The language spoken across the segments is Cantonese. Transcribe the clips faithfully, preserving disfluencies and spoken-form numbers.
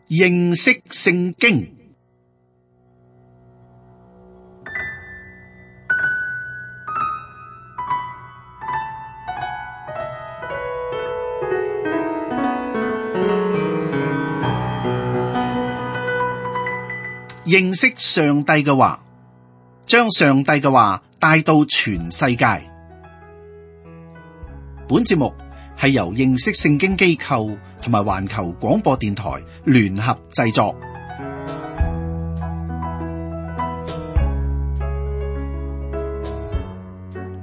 認識聖經。認識上帝嘅話，將上帝嘅話帶到全世界。本節目係由認識聖經機構同埋環球廣播電台聯合製作。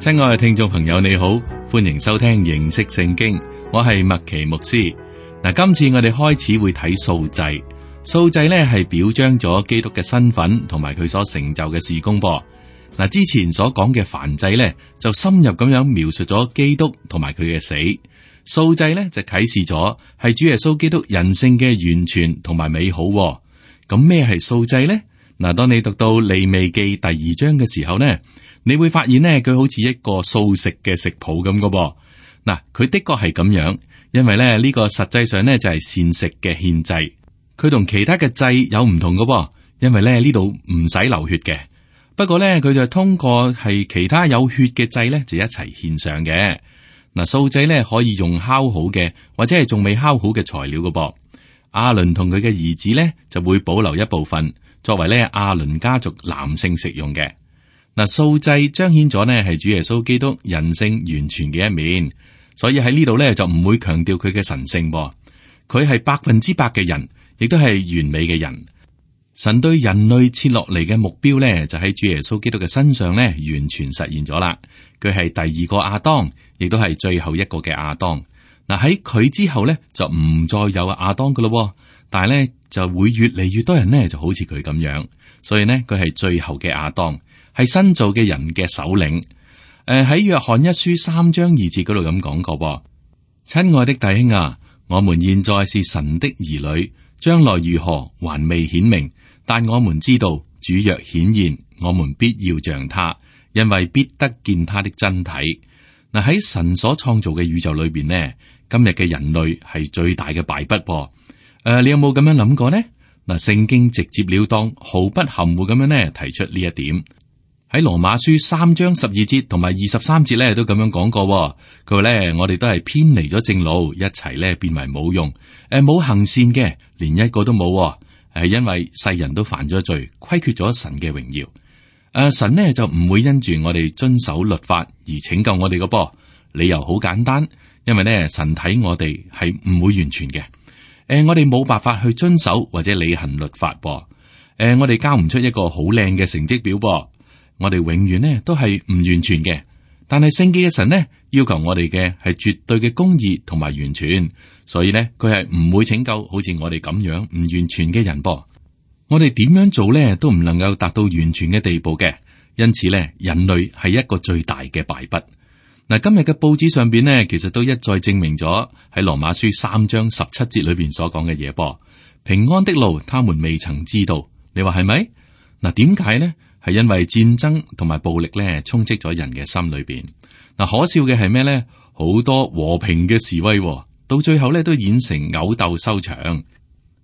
親愛嘅聽眾朋友，你好，歡迎收聽認識聖經，我係麥奇牧師。嗱，今次我哋開始會睇素祭。素祭咧係表彰咗基督嘅身份同埋佢所成就嘅事工噃。嗱，之前所講嘅燔祭咧就深入咁樣描述咗基督同埋佢嘅死，素祭咧就啟示咗係主耶穌基督人性嘅完全同埋美好。咁咩係素祭呢？嗱，當你讀到利未記第二章嘅時候呢，你會發現呢，佢好似一個素食嘅食譜咁嘅噃。嗱，佢的確係咁樣，因為咧呢個實際上呢就係膳食嘅獻祭。佢同其他嘅祭有唔同嘅，因為咧呢度唔使流血嘅。不過咧佢就通過係其他有血嘅祭咧就一齊獻上嘅。嗱，素祭咧可以用烤好嘅或者係仲未烤好嘅材料嘅噃。亞倫同佢嘅兒子咧就會保留一部分作為咧亞倫家族男性食用嘅。嗱，素祭彰顯咗呢係主耶穌基督人性完全嘅一面，所以喺呢度咧就唔會強調佢嘅神性噃。佢係百分之百嘅人。亦都係完美嘅人。神對人類設落嚟嘅目標呢，就喺主耶穌基督嘅身上呢，完全實現咗啦。佢係第二個亞當，亦都係最後一個嘅亞當。嗱，喺佢之後呢，就唔再有亞當噶咯。但係呢，就會越嚟越多人呢，就好似佢咁樣。所以呢，佢係最後嘅亞當，係新造嘅人嘅首領。誒、呃，喺約翰一書三章二節嗰度咁講過：親愛的弟兄啊，我們現在是神的兒女。將來如何還未顯明，但我們知道主若顯現，我們必要像他，因為必得見他的真體。嗱，喺神所創造嘅宇宙裏邊呢，今日嘅人類係最大嘅敗筆噃。誒、呃，你有冇咁樣諗過呢？嗱，聖經直接了當，毫不含糊咁樣呢提出呢一點。喺羅馬書三章十二節同埋二十三節咧都咁樣講過。佢話咧，我哋都係偏離咗正路，一齊咧變為冇用。誒，冇行善嘅，連一個都冇，係因為世人都犯咗罪，虧缺咗神嘅榮耀。誒、呃，神呢就唔會因住我哋遵守律法而拯救我哋嘅噃。理由好簡單，因為呢神睇我哋係唔會完全嘅。誒、呃，我哋冇辦法去遵守或者履行律法噃。誒、呃，我哋交唔出一個好靚嘅成績表噃。我哋永遠呢都係唔完全嘅，但係聖潔嘅神呢要求我哋嘅係絕對嘅公義同埋完全，所以呢佢係唔會拯救好似我哋咁樣唔完全嘅人噃。我哋點樣做呢都唔能夠達到完全嘅地步嘅，因此呢人類係一個最大嘅敗筆。嗱，今日嘅報紙上邊呢其實都一再證明咗喺羅馬書三章十七節裏邊所講嘅嘢噃。平安的路，他們未曾知道。你話係咪？嗱，點解呢？係因為戰爭同埋暴力咧，充斥咗人嘅心裏邊。嗱，可笑嘅係咩咧？好多和平嘅示威，到最後咧都演成毆鬥收場。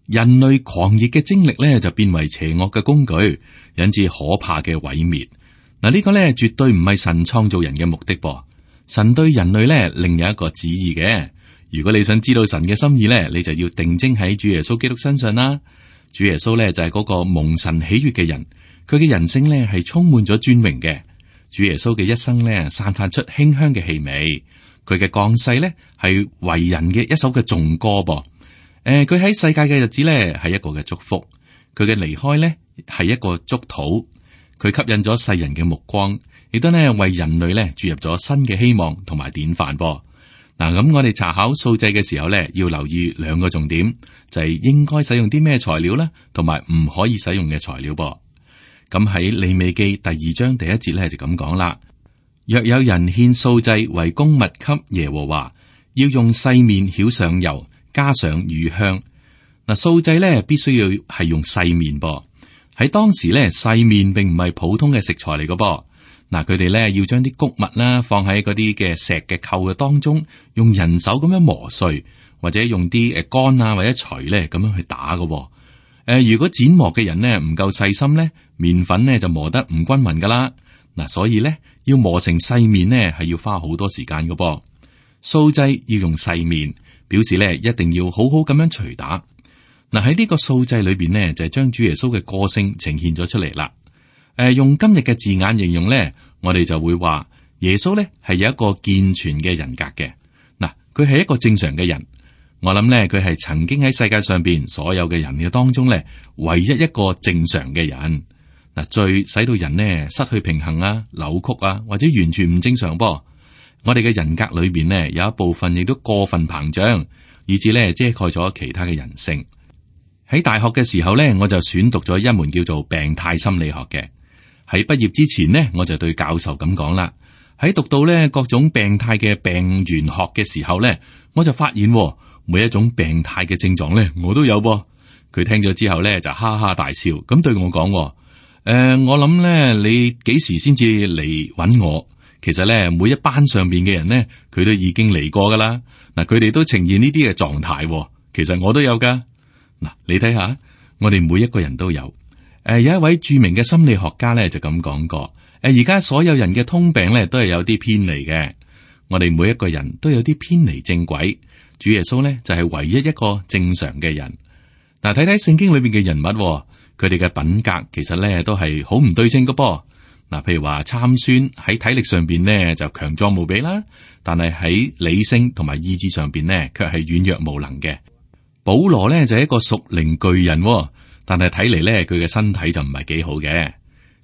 人類狂熱嘅精力咧，就變為邪惡嘅工具，引致可怕嘅毀滅。嗱，呢個咧絕對唔係神創造人嘅目的噃。神對人類咧另有一個旨意嘅。如果你想知道神嘅心意咧，你就要定睛喺主耶穌基督身上啦。主耶穌咧就係嗰個蒙神喜悅嘅人。佢嘅人性咧係充滿咗尊榮嘅。主耶穌嘅一生咧散發出馨香嘅氣味。佢嘅降世咧係為人嘅一首嘅頌歌噃。誒、呃，佢喺世界嘅日子咧係一個嘅祝福。佢嘅離開咧係一個祝禱。佢吸引咗世人嘅目光，亦都咧為人類咧注入咗新嘅希望同埋典範噃。嗱，咁我哋查考素祭嘅時候咧，要留意兩個重點，就係、是、應該使用啲咩材料啦，同埋唔可以使用嘅材料噃。咁喺利未記第二章第一節咧就咁講啦。若有人獻素祭為供物給耶和華，要用細麵澆上油，加上乳香。嗱，素祭咧必須要係用細麵噃。喺當時咧，細麵並唔係普通嘅食材嚟嘅噃。嗱，佢哋咧要將啲穀物啦放喺嗰啲嘅石嘅臼嘅當中，用人手咁樣磨碎，或者用啲誒杆啊或者錘咧咁樣去打嘅。誒、呃，如果剪磨嘅人呢唔夠細心咧，麵粉呢就磨得唔均勻噶啦。嗱，所以咧要磨成細麵呢係要花好多時間嘅噃。素祭要用細麵，表示咧一定要好好咁樣捶打。嗱，喺呢個素祭裏邊呢，就係將主耶穌嘅個性呈現咗出嚟啦。誒、呃，用今日嘅字眼形容咧，我哋就會話耶穌咧係有一個健全嘅人格嘅。嗱，佢係一個正常嘅人。我諗咧，佢係曾經喺世界上邊所有嘅人嘅當中咧，唯一一個正常嘅人。嗱，罪使到人呢失去平衡啊、扭曲啊，或者完全唔正常噃。我哋嘅人格裏邊呢，有一部分亦都過分膨脹，以致咧遮蓋咗其他嘅人性。喺大學嘅時候咧，我就選讀咗一門叫做病態心理學嘅。喺畢業之前呢，我就對教授咁講啦。喺讀到咧各種病態嘅病原學嘅時候咧，我就發現每一種病態嘅症狀咧，我都有噃。佢聽咗之後咧，就哈哈大笑，咁對我講：誒、呃，我諗咧，你幾時先至嚟揾我？其實咧，每一班上邊嘅人咧，佢都已經嚟過噶啦。嗱，佢哋都呈現呢啲嘅狀態，其實我都有噶。嗱，你睇下，我哋每一個人都有。誒、呃，有一位著名嘅心理學家咧就咁講過。誒、呃，而家所有人嘅通病咧都係有啲偏離嘅。我哋每一個人都有啲偏離正軌。主耶穌咧就係、是、唯一一個正常嘅人。嗱、呃，睇睇聖經裏邊嘅人物，佢哋嘅品格其實咧都係好唔對稱噶噃。嗱、呃，譬如話參孫喺體力上邊呢就強壯無比啦，但係喺理性同埋意志上邊呢卻係軟弱無能嘅。保羅呢就係一個屬靈巨人，但係睇嚟咧佢嘅身體就唔係幾好嘅。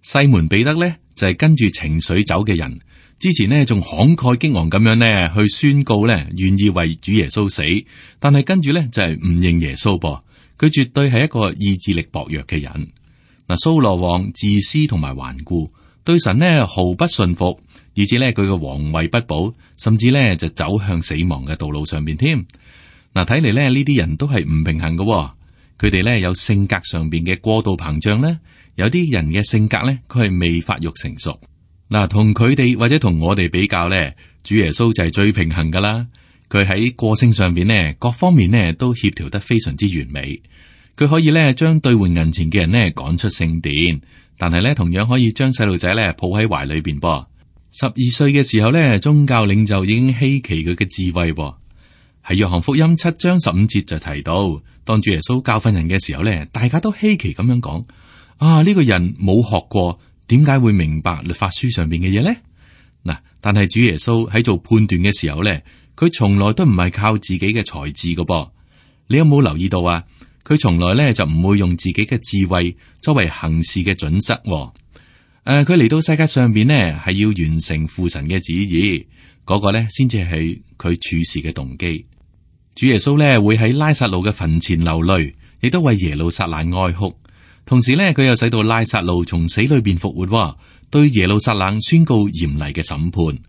西門彼得咧就係、是、跟住情緒走嘅人，之前呢仲慷慨激昂咁樣呢去宣告咧願意為主耶穌死，但係跟住咧就係、是、唔認耶穌噃。佢絕對係一個意志力薄弱嘅人。嗱，蘇羅王自私同埋頑固，對神呢毫不信服，以至咧佢嘅皇位不保，甚至咧就走向死亡嘅道路上邊添。嗱，睇嚟咧呢啲人都係唔平衡嘅。佢哋咧有性格上邊嘅過度膨脹咧，有啲人嘅性格咧佢係未發育成熟。嗱，同佢哋或者同我哋比較咧，主耶穌就係最平衡噶啦。佢喺個性上邊呢，各方面呢都協調得非常之完美。佢可以咧將兌換銀錢嘅人呢趕出聖殿，但係咧同樣可以將細路仔咧抱喺懷裏邊噃。十二歲嘅時候咧，宗教領袖已經稀奇佢嘅智慧噃。喺約翰福音七章十五節就提到，當主耶穌教訓人嘅時候咧，大家都稀奇咁樣講：啊，呢個人冇學過，點解會明白律法書上邊嘅嘢咧？嗱，但係主耶穌喺做判斷嘅時候咧，佢從來都唔係靠自己嘅才智噶噃。你有冇留意到啊？佢從來咧就唔會用自己嘅智慧作為行事嘅準則。誒、呃，佢嚟到世界上邊呢，係要完成父神嘅旨意，嗰、那個咧先至係佢處事嘅動機。主耶穌咧會喺拉撒路嘅墳前流淚，亦都為耶路撒冷哀哭。同時咧，佢又使到拉撒路從死裏邊復活，對耶路撒冷宣告嚴厲嘅審判。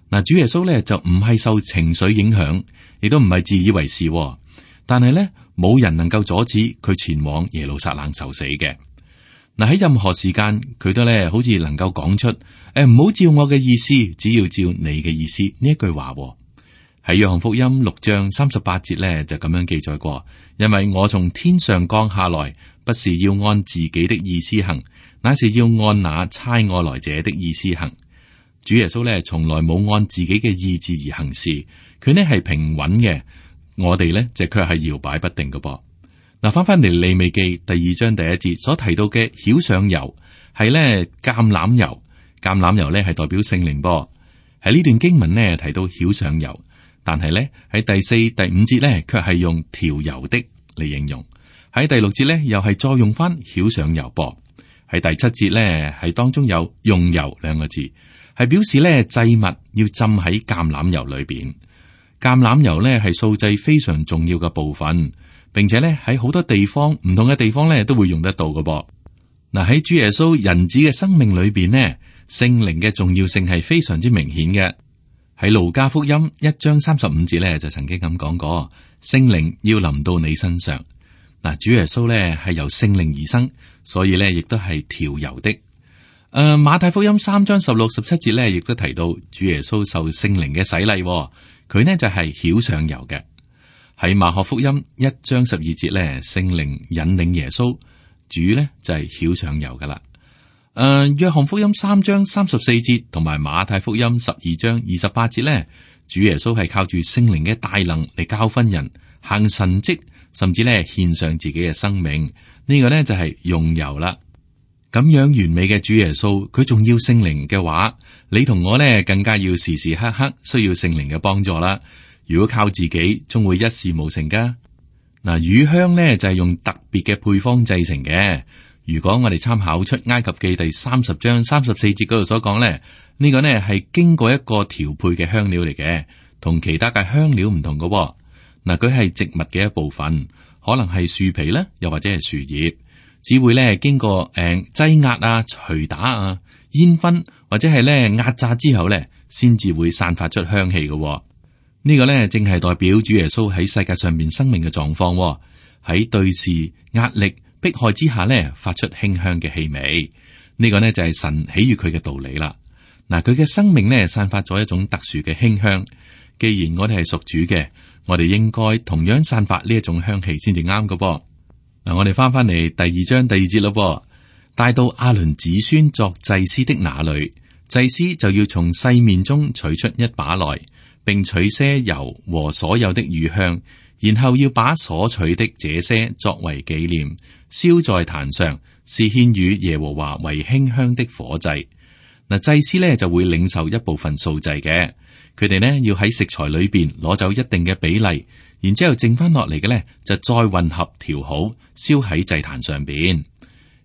嗱，主耶穌咧就唔係受情緒影響，亦都唔係自以為是，但係咧冇人能夠阻止佢前往耶路撒冷受死嘅。嗱，喺任何時間，佢都咧好似能夠講出誒，唔好照我嘅意思，只要照你嘅意思呢一句話。喺約翰福音六章三十八節咧就咁樣記載過，因為我從天上降下來，不是要按自己的意思行，乃是要按那差我來者的意思行。主耶穌咧從來冇按自己嘅意志而行事，佢呢係平穩嘅，我哋呢就卻係搖擺不定嘅噃。嗱，翻翻嚟利未記第二章第一節所提到嘅曉上油係呢橄欖油，橄欖油呢係代表聖靈噃。喺呢段經文呢提到曉上油。但係咧喺第四、第五節咧，卻係用調油的嚟形容；喺第六節咧，又係再用翻曉上油噃；喺第七節咧，係當中有用油兩個字，係表示咧祭物要浸喺橄欖油裏邊。橄欖油咧係素祭非常重要嘅部分，並且咧喺好多地方唔同嘅地方咧都會用得到嘅噃。嗱，喺主耶穌人子嘅生命裏邊呢，聖靈嘅重要性係非常之明顯嘅。喺路加福音一章三十五節咧，就曾經咁講過，聖靈要臨到你身上。嗱，主耶穌咧係由聖靈而生，所以咧亦都係調油的。誒、呃，馬太福音三章十六、十七節咧，亦都提到主耶穌受聖靈嘅洗禮，佢呢就係曉上油嘅。喺馬可福音一章十二節咧，聖靈引領耶穌，主咧就係曉上游噶啦。誒、呃，約翰福音三章三十四節同埋馬太福音十二章二十八節咧，主耶穌係靠住聖靈嘅大能嚟教訓人，行神蹟，甚至咧獻上自己嘅生命。呢、這個呢就係用油啦。咁樣完美嘅主耶穌，佢仲要聖靈嘅話，你同我呢更加要時時刻刻需要聖靈嘅幫助啦。如果靠自己，終會一事無成噶。嗱，乳香呢就係用特別嘅配方製成嘅。如果我哋參考出埃及記第三十章三十四節嗰度所講咧，呢、這個呢係經過一個調配嘅香料嚟嘅，同其他嘅香料唔同噶。嗱，佢係植物嘅一部分，可能係樹皮咧，又或者係樹葉，只會咧經過誒擠壓啊、捶打啊、煙熏或者係咧壓榨之後咧，先至會散發出香氣嘅。呢、這個咧正係代表主耶穌喺世界上面生命嘅狀況，喺對事壓力迫害之下咧，發出馨香嘅氣味。呢、這個呢就係神喜悅佢嘅道理啦。嗱，佢嘅生命呢散發咗一種特殊嘅馨香。既然我哋係屬主嘅，我哋應該同樣散發呢一種香氣先至啱㗎噃。嗱，我哋翻翻嚟第二章第二節咯噃，帶到亞倫子孫作祭司的那裏，祭司就要從細麵中取出一把來，並取些油和所有的乳香，然後要把所取的這些作為紀念，燒在壇上，是獻與耶和華為馨香的火祭。嗱，祭司呢就會領受一部分素祭嘅，佢哋呢要喺食材裏邊攞走一定嘅比例，然之後剩翻落嚟嘅呢就再混合調好，燒喺祭壇上邊。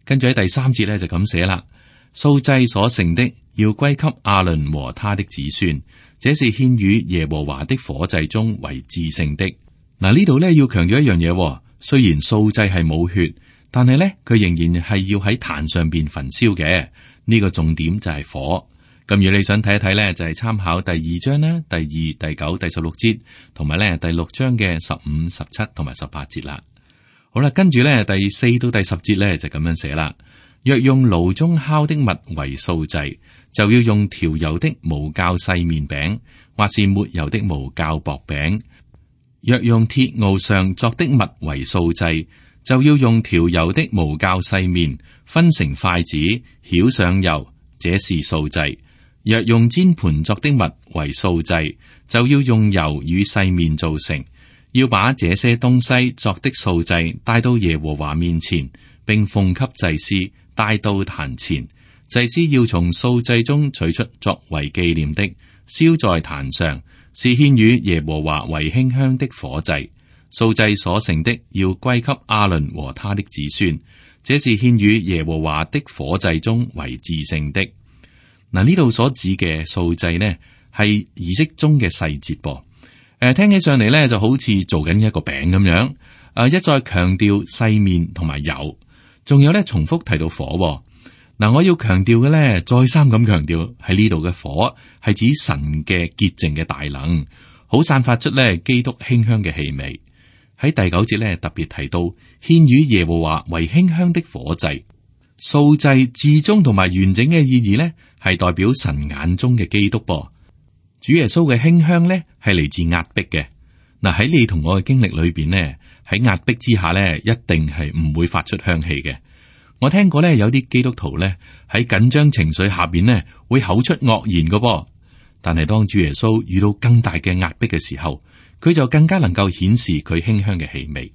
跟住喺第三節呢就咁寫啦，素祭所剩的要歸給亞倫和他的子孫，這是獻與耶和華的火祭中為至聖的。嗱，呢度呢要強調一樣嘢，雖然素祭係冇血，但係呢佢仍然係要喺壇上邊焚燒嘅。呢個重點就係火。咁如果你想睇一睇呢，就係參考第二章啦，第二、第九、第十六節，同埋呢第六章嘅十五、十七同埋十八節啦。好啦，跟住呢第四到第十節呢，就咁樣寫啦。若用爐中烤的物為素祭，就要用調油的無酵細麵餅，或是沒油的無酵薄餅。若用鐵鏊上作的物為素祭，就要用調油的無酵細麵，分成筷子，澆上油，這是素祭。若用煎盤作的物為素祭，就要用油與細麵造成。要把這些東西作的素祭帶到耶和華面前，並奉給祭司帶到壇前。祭司要從素祭中取出作為紀念的，燒在壇上，是獻與耶和華為馨香的火祭。素祭所剩的要歸給亞倫和他的子孫，這是獻與耶和華的火祭中為至聖的。嗱，呢度所指嘅素祭呢，係儀式中嘅細節噃。誒、呃，聽起上嚟咧就好似做緊一個餅咁樣。誒、呃，一再強調細麵同埋油，仲有咧重複提到火。嗱、呃，我要強調嘅咧，再三咁強調喺呢度嘅火係指神嘅潔淨嘅大能，好散發出咧基督馨香嘅氣味。喺第九節咧特別提到獻與耶和華為馨香的火祭。素祭至終同埋完整嘅意義呢，係代表神眼中嘅基督噃。主耶穌嘅馨香呢，係嚟自壓迫嘅。嗱，喺你同我嘅經歷裏邊呢，喺壓迫之下呢，一定係唔會發出香氣嘅。我聽過呢，有啲基督徒呢，喺緊張情緒下邊呢，會口出惡言嘅噃。但係當主耶穌遇到更大嘅壓迫嘅時候，佢就更加能夠顯示佢馨香嘅氣味。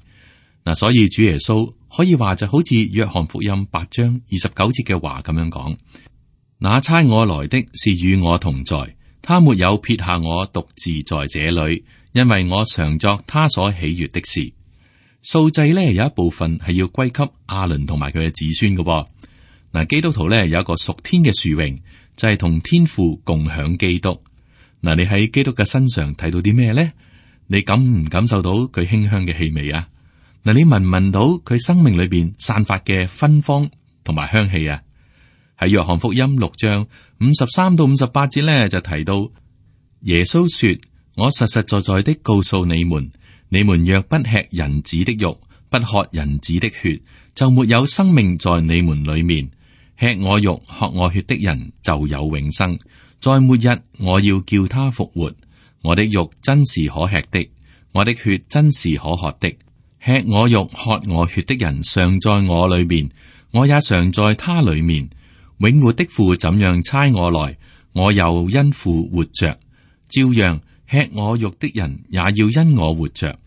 嗱，所以主耶穌可以話就好似約翰福音八章二十九節嘅話咁樣講：那差我來的是與我同在，他沒有撇下我獨自在這裏，因為我常作他所喜悦的事。素祭呢有一部分係要歸給亞倫同埋佢嘅子孫嘅。嗱，基督徒呢有一個屬天嘅殊榮，就係、是、同天父共享基督。嗱，你喺基督嘅身上睇到啲咩呢？你感唔感受到佢馨香嘅氣味啊？嗱，你聞唔聞到佢生命裏邊散發嘅芬芳同埋香氣啊？喺約翰福音六章五十三到五十八節咧，就提到耶穌說：我實實在在的告訴你們，你們若不吃人子的肉，不喝人子的血，就沒有生命在你們裏面。吃我肉、喝我血的人就有永生，在末日我要叫他復活。我的肉真是可吃的，我的血真是可喝的，吃我肉喝我血的人常在我裏面，我也常在他裏面。永活的父怎樣差我來，我又因父活着，照樣吃我肉的人也要因我活着。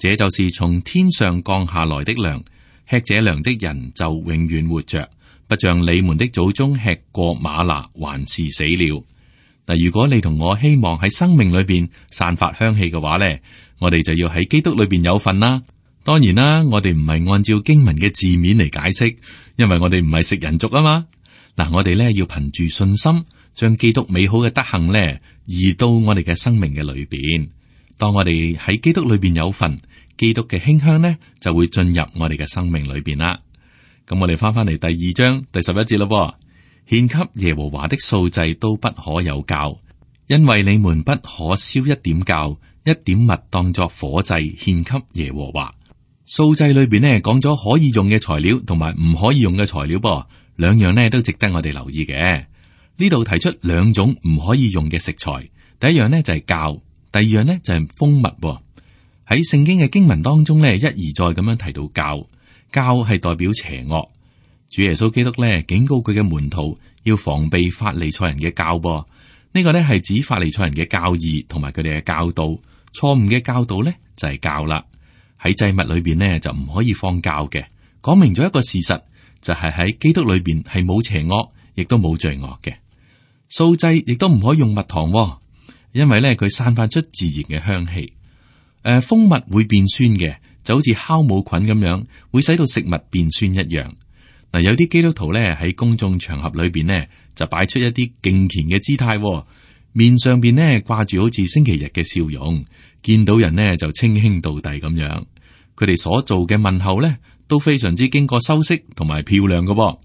這就是從天上降下來的糧，吃這糧的人就永遠活着，不像你們的祖宗吃過嗎哪，還是死了。嗱，如果你同我希望喺生命裏邊散發香氣嘅話呢，我哋就要喺基督裏邊有份啦。當然啦，我哋唔係按照經文嘅字面嚟解釋，因為我哋唔係食人族啊嘛。嗱，我哋咧要憑住信心，將基督美好嘅德行咧移到我哋嘅生命嘅裏邊。當我哋喺基督裏邊有份，基督嘅馨香呢就會進入我哋嘅生命裏邊啦。咁我哋翻翻嚟第二章第十一節咯，獻給耶和華的素祭都不可有酵，因為你們不可燒一點酵，一點蜜當作火祭獻給耶和華。素祭裏邊呢講咗可以用嘅材料同埋唔可以用嘅材料噃。兩樣呢都值得我哋留意嘅。呢度提出兩種唔可以用嘅食材，第一樣呢就係酵，第二樣呢就係蜂蜜。喺聖經嘅經文當中呢，一而再咁樣提到酵，酵係代表邪惡。主耶穌基督呢警告佢嘅門徒要防備法利賽人嘅酵噃。呢個呢係指法利賽人嘅教義同埋佢哋嘅教導，錯誤嘅教導呢就係酵啦。喺祭物裏邊呢就唔可以放酵嘅，講明咗一個事實。就係喺基督裏邊係冇邪惡，亦都冇罪惡嘅。素祭亦都唔可以用蜜糖，因為咧佢散發出自然嘅香氣。誒、呃，蜂蜜會變酸嘅，就好似酵母菌咁樣，會使到食物變酸一樣。嗱，有啲基督徒咧喺公眾場合裏邊呢，就擺出一啲敬虔嘅姿態，面上邊呢掛住好似星期日嘅笑容，見到人呢就稱兄道弟咁樣。佢哋所做嘅問候咧，都非常之經過修飾同埋漂亮嘅，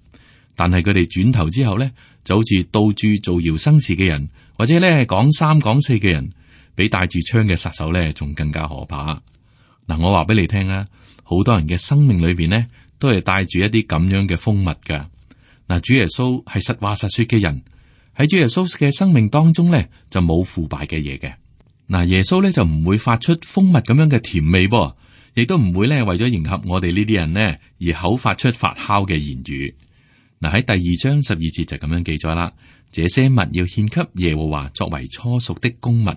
但係佢哋轉頭之後咧，就好似到處造謠生事嘅人，或者咧講三講四嘅人，比帶住槍嘅殺手咧仲更加可怕。嗱，我話俾你聽啊，好多人嘅生命裏邊呢，都係帶住一啲咁樣嘅蜂蜜噶。嗱，主耶穌係實話實說嘅人，喺主耶穌嘅生命當中咧就冇腐敗嘅嘢嘅。嗱，耶穌咧就唔會發出蜂蜜咁樣嘅甜味噃。亦都唔會咧為咗迎合我哋呢啲人呢而口發出發酵嘅言語。嗱，喺第二章十二節就咁樣記載啦。這些物要獻給耶和華作為初熟的供物，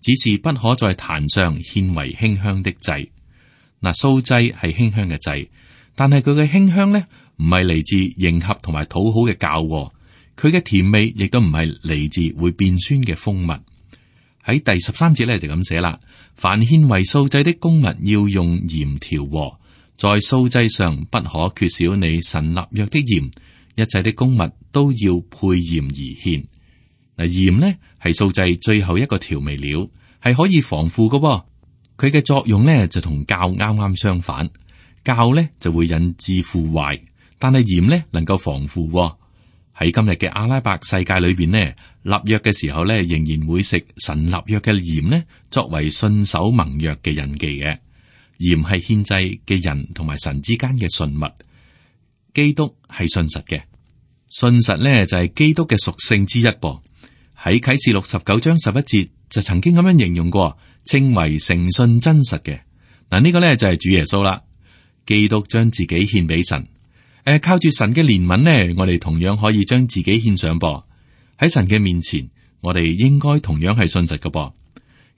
只是不可在壇上獻為馨香的祭。嗱，素祭係馨香嘅祭，但係佢嘅馨香呢唔係嚟自迎合同埋討好嘅酵，佢嘅甜味亦都唔係嚟自會變酸嘅蜂蜜。喺第十三節咧就咁寫啦。凡獻為素祭的供物要用鹽調和，在素祭上不可缺少你神立約的鹽，一切的供物都要配鹽而獻。嗱，鹽呢係素祭最後一個調味料，係可以防腐嘅。佢嘅作用呢就同酵啱啱相反，酵呢就會引致腐壞，但係鹽呢能夠防腐。喺今日嘅阿拉伯世界裏邊呢，立約嘅時候呢，仍然會食神立約嘅鹽呢，作為信守盟約嘅印記嘅。鹽係獻祭嘅人同埋神之間嘅信物。基督係信實嘅，信實呢就係基督嘅屬性之一噃。喺啟示錄十九章十一節就曾經咁樣形容過，稱為誠信真實嘅。嗱，呢個呢就係主耶穌啦。基督將自己獻俾神。誒，靠住神嘅憐憫呢，我哋同樣可以將自己獻上噃。喺神嘅面前，我哋應該同樣係信實嘅噃。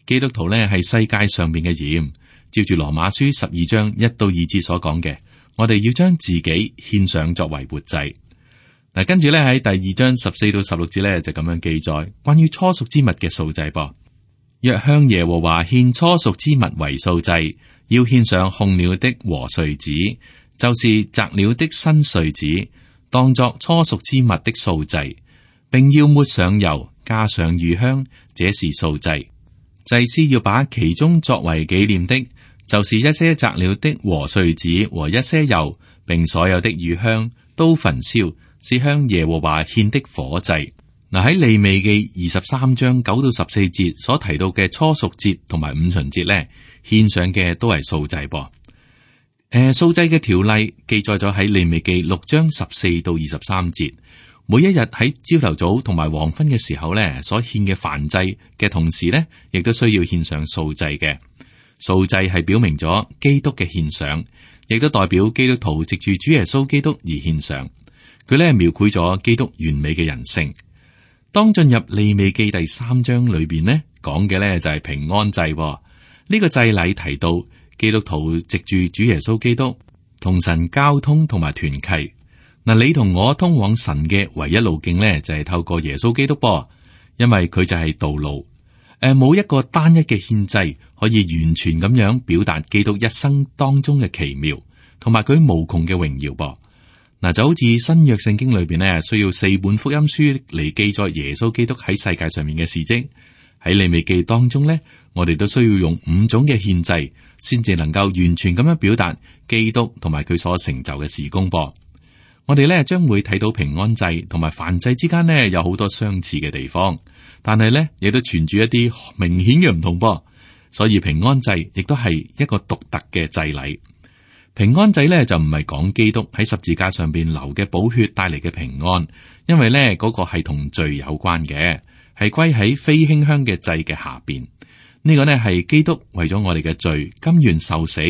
基督徒呢係世界上面嘅鹽，照住羅馬書十二章一到二節所講嘅，我哋要將自己獻上作為活祭。嗱，跟住咧喺第二章十四到十六節咧就咁樣記載關於初熟之物嘅素祭噃。若向耶和華獻初熟之物為素祭，要獻上控了的和穗子，就是摘了的新穗子，當作初熟之物的素祭，並要抹上油，加上乳香，這是素祭。祭司要把其中作為紀念的，就是一些摘了的和穗子和一些油，並所有的乳香都焚燒，是向耶和華獻的火祭。嗱，喺利未記二十三章九到十四節所提到嘅初熟節同埋五旬節咧，獻上嘅都係素祭噃。誒、呃，素祭嘅條例記載咗喺利未記六章十四到二十三節。每一日喺朝頭早同埋黃昏嘅時候咧，所獻嘅燔祭嘅同時咧，亦都需要獻上素祭嘅。素祭係表明咗基督嘅獻上，亦都代表基督徒藉住主耶穌基督而獻上。佢咧描繪咗基督完美嘅人性。當進入利未記第三章裏邊呢，講嘅咧就係平安祭。呢個祭禮提到基督徒藉住主耶穌基督同神交通同埋團契。嗱，你同我通往神嘅唯一路徑咧就係透過耶穌基督噃，因為佢就係道路。誒，冇一個單一嘅獻祭可以完全咁樣表達基督一生當中嘅奇妙，同埋佢無窮嘅榮耀噃。嗱，就好似新約聖經裏邊呢，需要四本福音書嚟記載耶穌基督喺世界上面嘅事蹟。喺利未記當中呢，我哋都需要用五種嘅獻祭，先至能夠完全咁樣表達基督同埋佢所成就嘅事工噃。我哋咧將會睇到平安祭同埋燔祭之間呢，有好多相似嘅地方，但係呢亦都存住一啲明顯嘅唔同噃。所以平安祭亦都係一個獨特嘅祭禮。平安祭呢就唔係講基督喺十字架上邊流嘅寶血帶嚟嘅平安，因為呢嗰個係同罪有關嘅，係歸喺非馨香嘅祭嘅下邊。呢個呢係基督為咗我哋嘅罪甘願受死，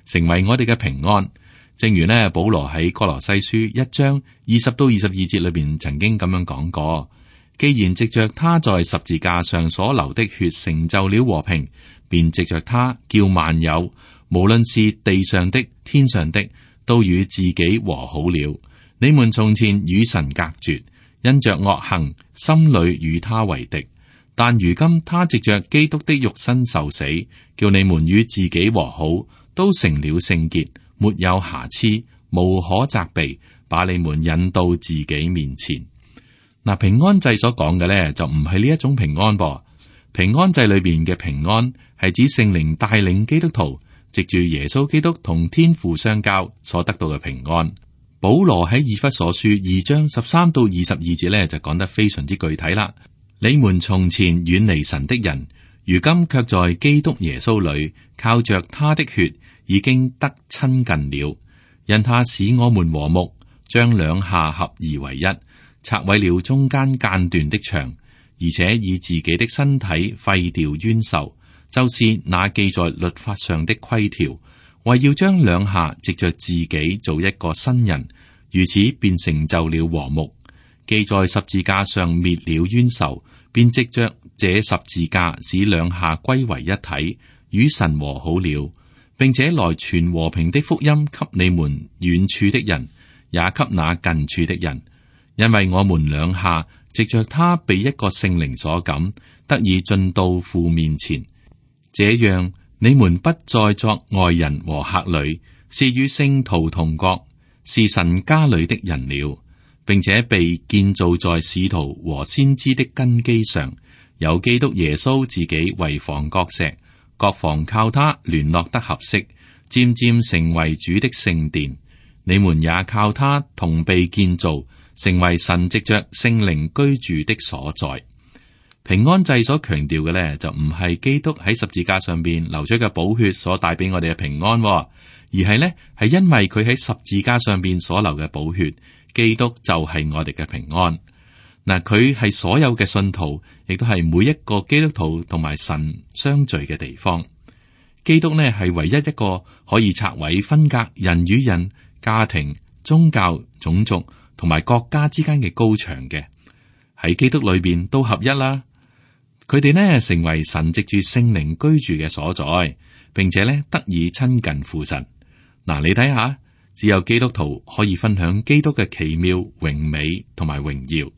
成為我哋嘅平安。正如呢保羅喺哥羅西書一章二十到二十二節裏邊曾經咁樣講過：既然藉着他在十字架上所流的血成就了和平，便藉着他叫萬有，無論是地上的、天上的，都與自己和好了。你們從前與神隔絕，因着惡行，心裏與他為敵。但如今他藉着基督的肉身受死，叫你們與自己和好，都成了聖潔，沒有瑕疵，無可責備，把你們引到自己面前。嗱，平安祭所講嘅咧，就唔係呢一種平安噃。平安祭裏邊嘅平安係指聖靈帶領基督徒藉住耶穌基督同天父相交所得到嘅平安。保羅喺以弗所書二章十三到二十二節咧就講得非常之具體啦。你們從前遠離神的人，如今卻在基督耶穌裏靠着他的血已經得親近了，因他使我們和睦，將兩下合而為一，拆毀了中間間斷的牆，而且以自己的身體廢掉冤仇，就是那記在律法上的規條，為要將兩下藉着自己做一個新人，如此便成就了和睦。記在十字架上滅了冤仇，便藉着這十字架使兩下歸為一體，與神和好了，並且來傳和平的福音給你們遠處的人，也給那近處的人。因為我們兩下藉着他被一個聖靈所感，得以進到父面前，這樣你們不再作外人和客旅，是與聖徒同國，是神家裏的人了，並且被建造在使徒和先知的根基上，有基督耶穌自己為房角石，各房靠他聯絡得合適，漸漸成為主的聖殿。你們也靠他同被建造，成為神藉着聖靈居住的所在。平安祭所強調嘅呢，就唔係基督喺十字架上邊流出嘅寶血所帶俾我哋嘅平安，而係呢係因為佢喺十字架上邊所流嘅寶血，基督就係我哋嘅平安。嗱，佢係所有嘅信徒，亦都係每一個基督徒同埋神相聚嘅地方。基督呢係唯一一個可以拆毀分隔人與人、家庭、宗教、種族同埋國家之間嘅高牆嘅，喺基督裏邊都合一啦。佢哋呢成為神藉住聖靈居住嘅所在，並且呢得以親近父神。嗱，你睇下，只有基督徒可以分享基督嘅奇妙、榮美同埋榮耀。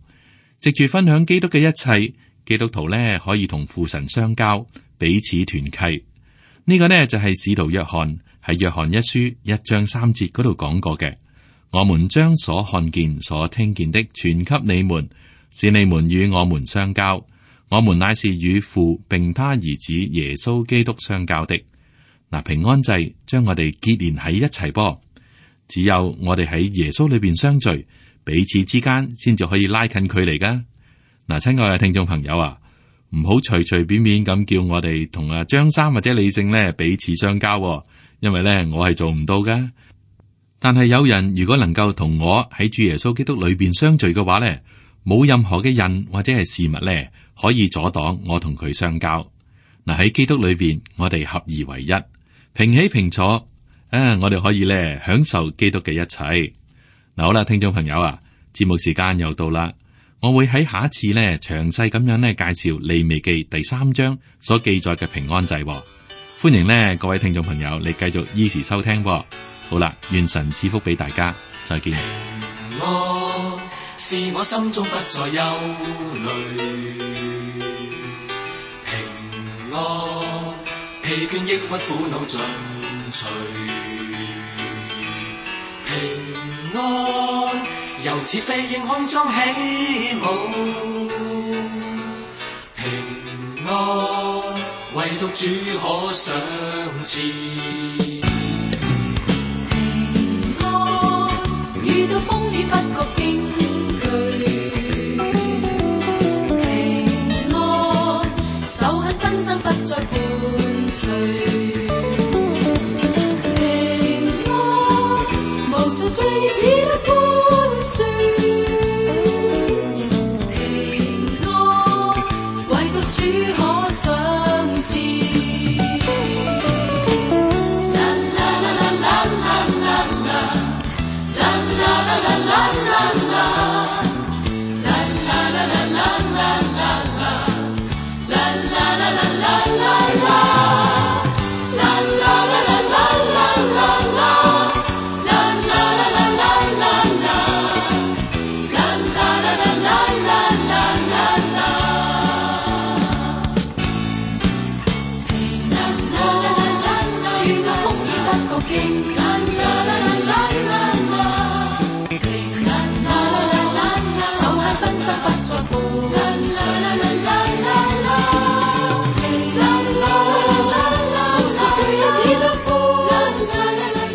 藉住分享基督嘅一切，基督徒呢可以同父神相交，彼此團契。呢、這個呢就係、是、使徒約翰喺約翰一書一章三節嗰度講過嘅。我們將所看見、所聽見的傳給你們，使你們與我們相交。我們乃是與父並他兒子耶穌基督相交的。嗱，平安祭將我哋結連喺一齊噃。只有我哋喺耶穌裏邊相聚，彼此之間先至可以拉近距離噶。嗱，親愛嘅聽眾朋友啊，唔好隨隨便便咁叫我哋同啊張三或者李勝咧彼此相交，因為咧我係做唔到噶。但係有人如果能夠同我喺主耶穌基督裏邊相聚嘅話咧，冇任何嘅人或者係事物咧可以阻擋我同佢相交。嗱，喺基督裏邊，我哋合而為一，平起平坐，啊，我哋可以咧享受基督嘅一切。嗱，好啦，聽眾朋友啊，節目時間又到啦，我會喺下一次咧詳細咁樣咧介紹利未記第三章所記載嘅平安祭。歡迎咧各位聽眾朋友，你繼續依時收聽。好啦，願神賜福俾大家，再見。平安是我心中不再憂慮，平安疲倦抑鬱苦惱盡除，平安由似飛鷹空中起舞，平安唯獨主可賞賜。平安遇到風雨不覺驚懼，平安仇恨紛爭不再伴隨，平安無數罪孽已得寬恕，平安唯獨主可賞賜。無數罪孽已得寬恕。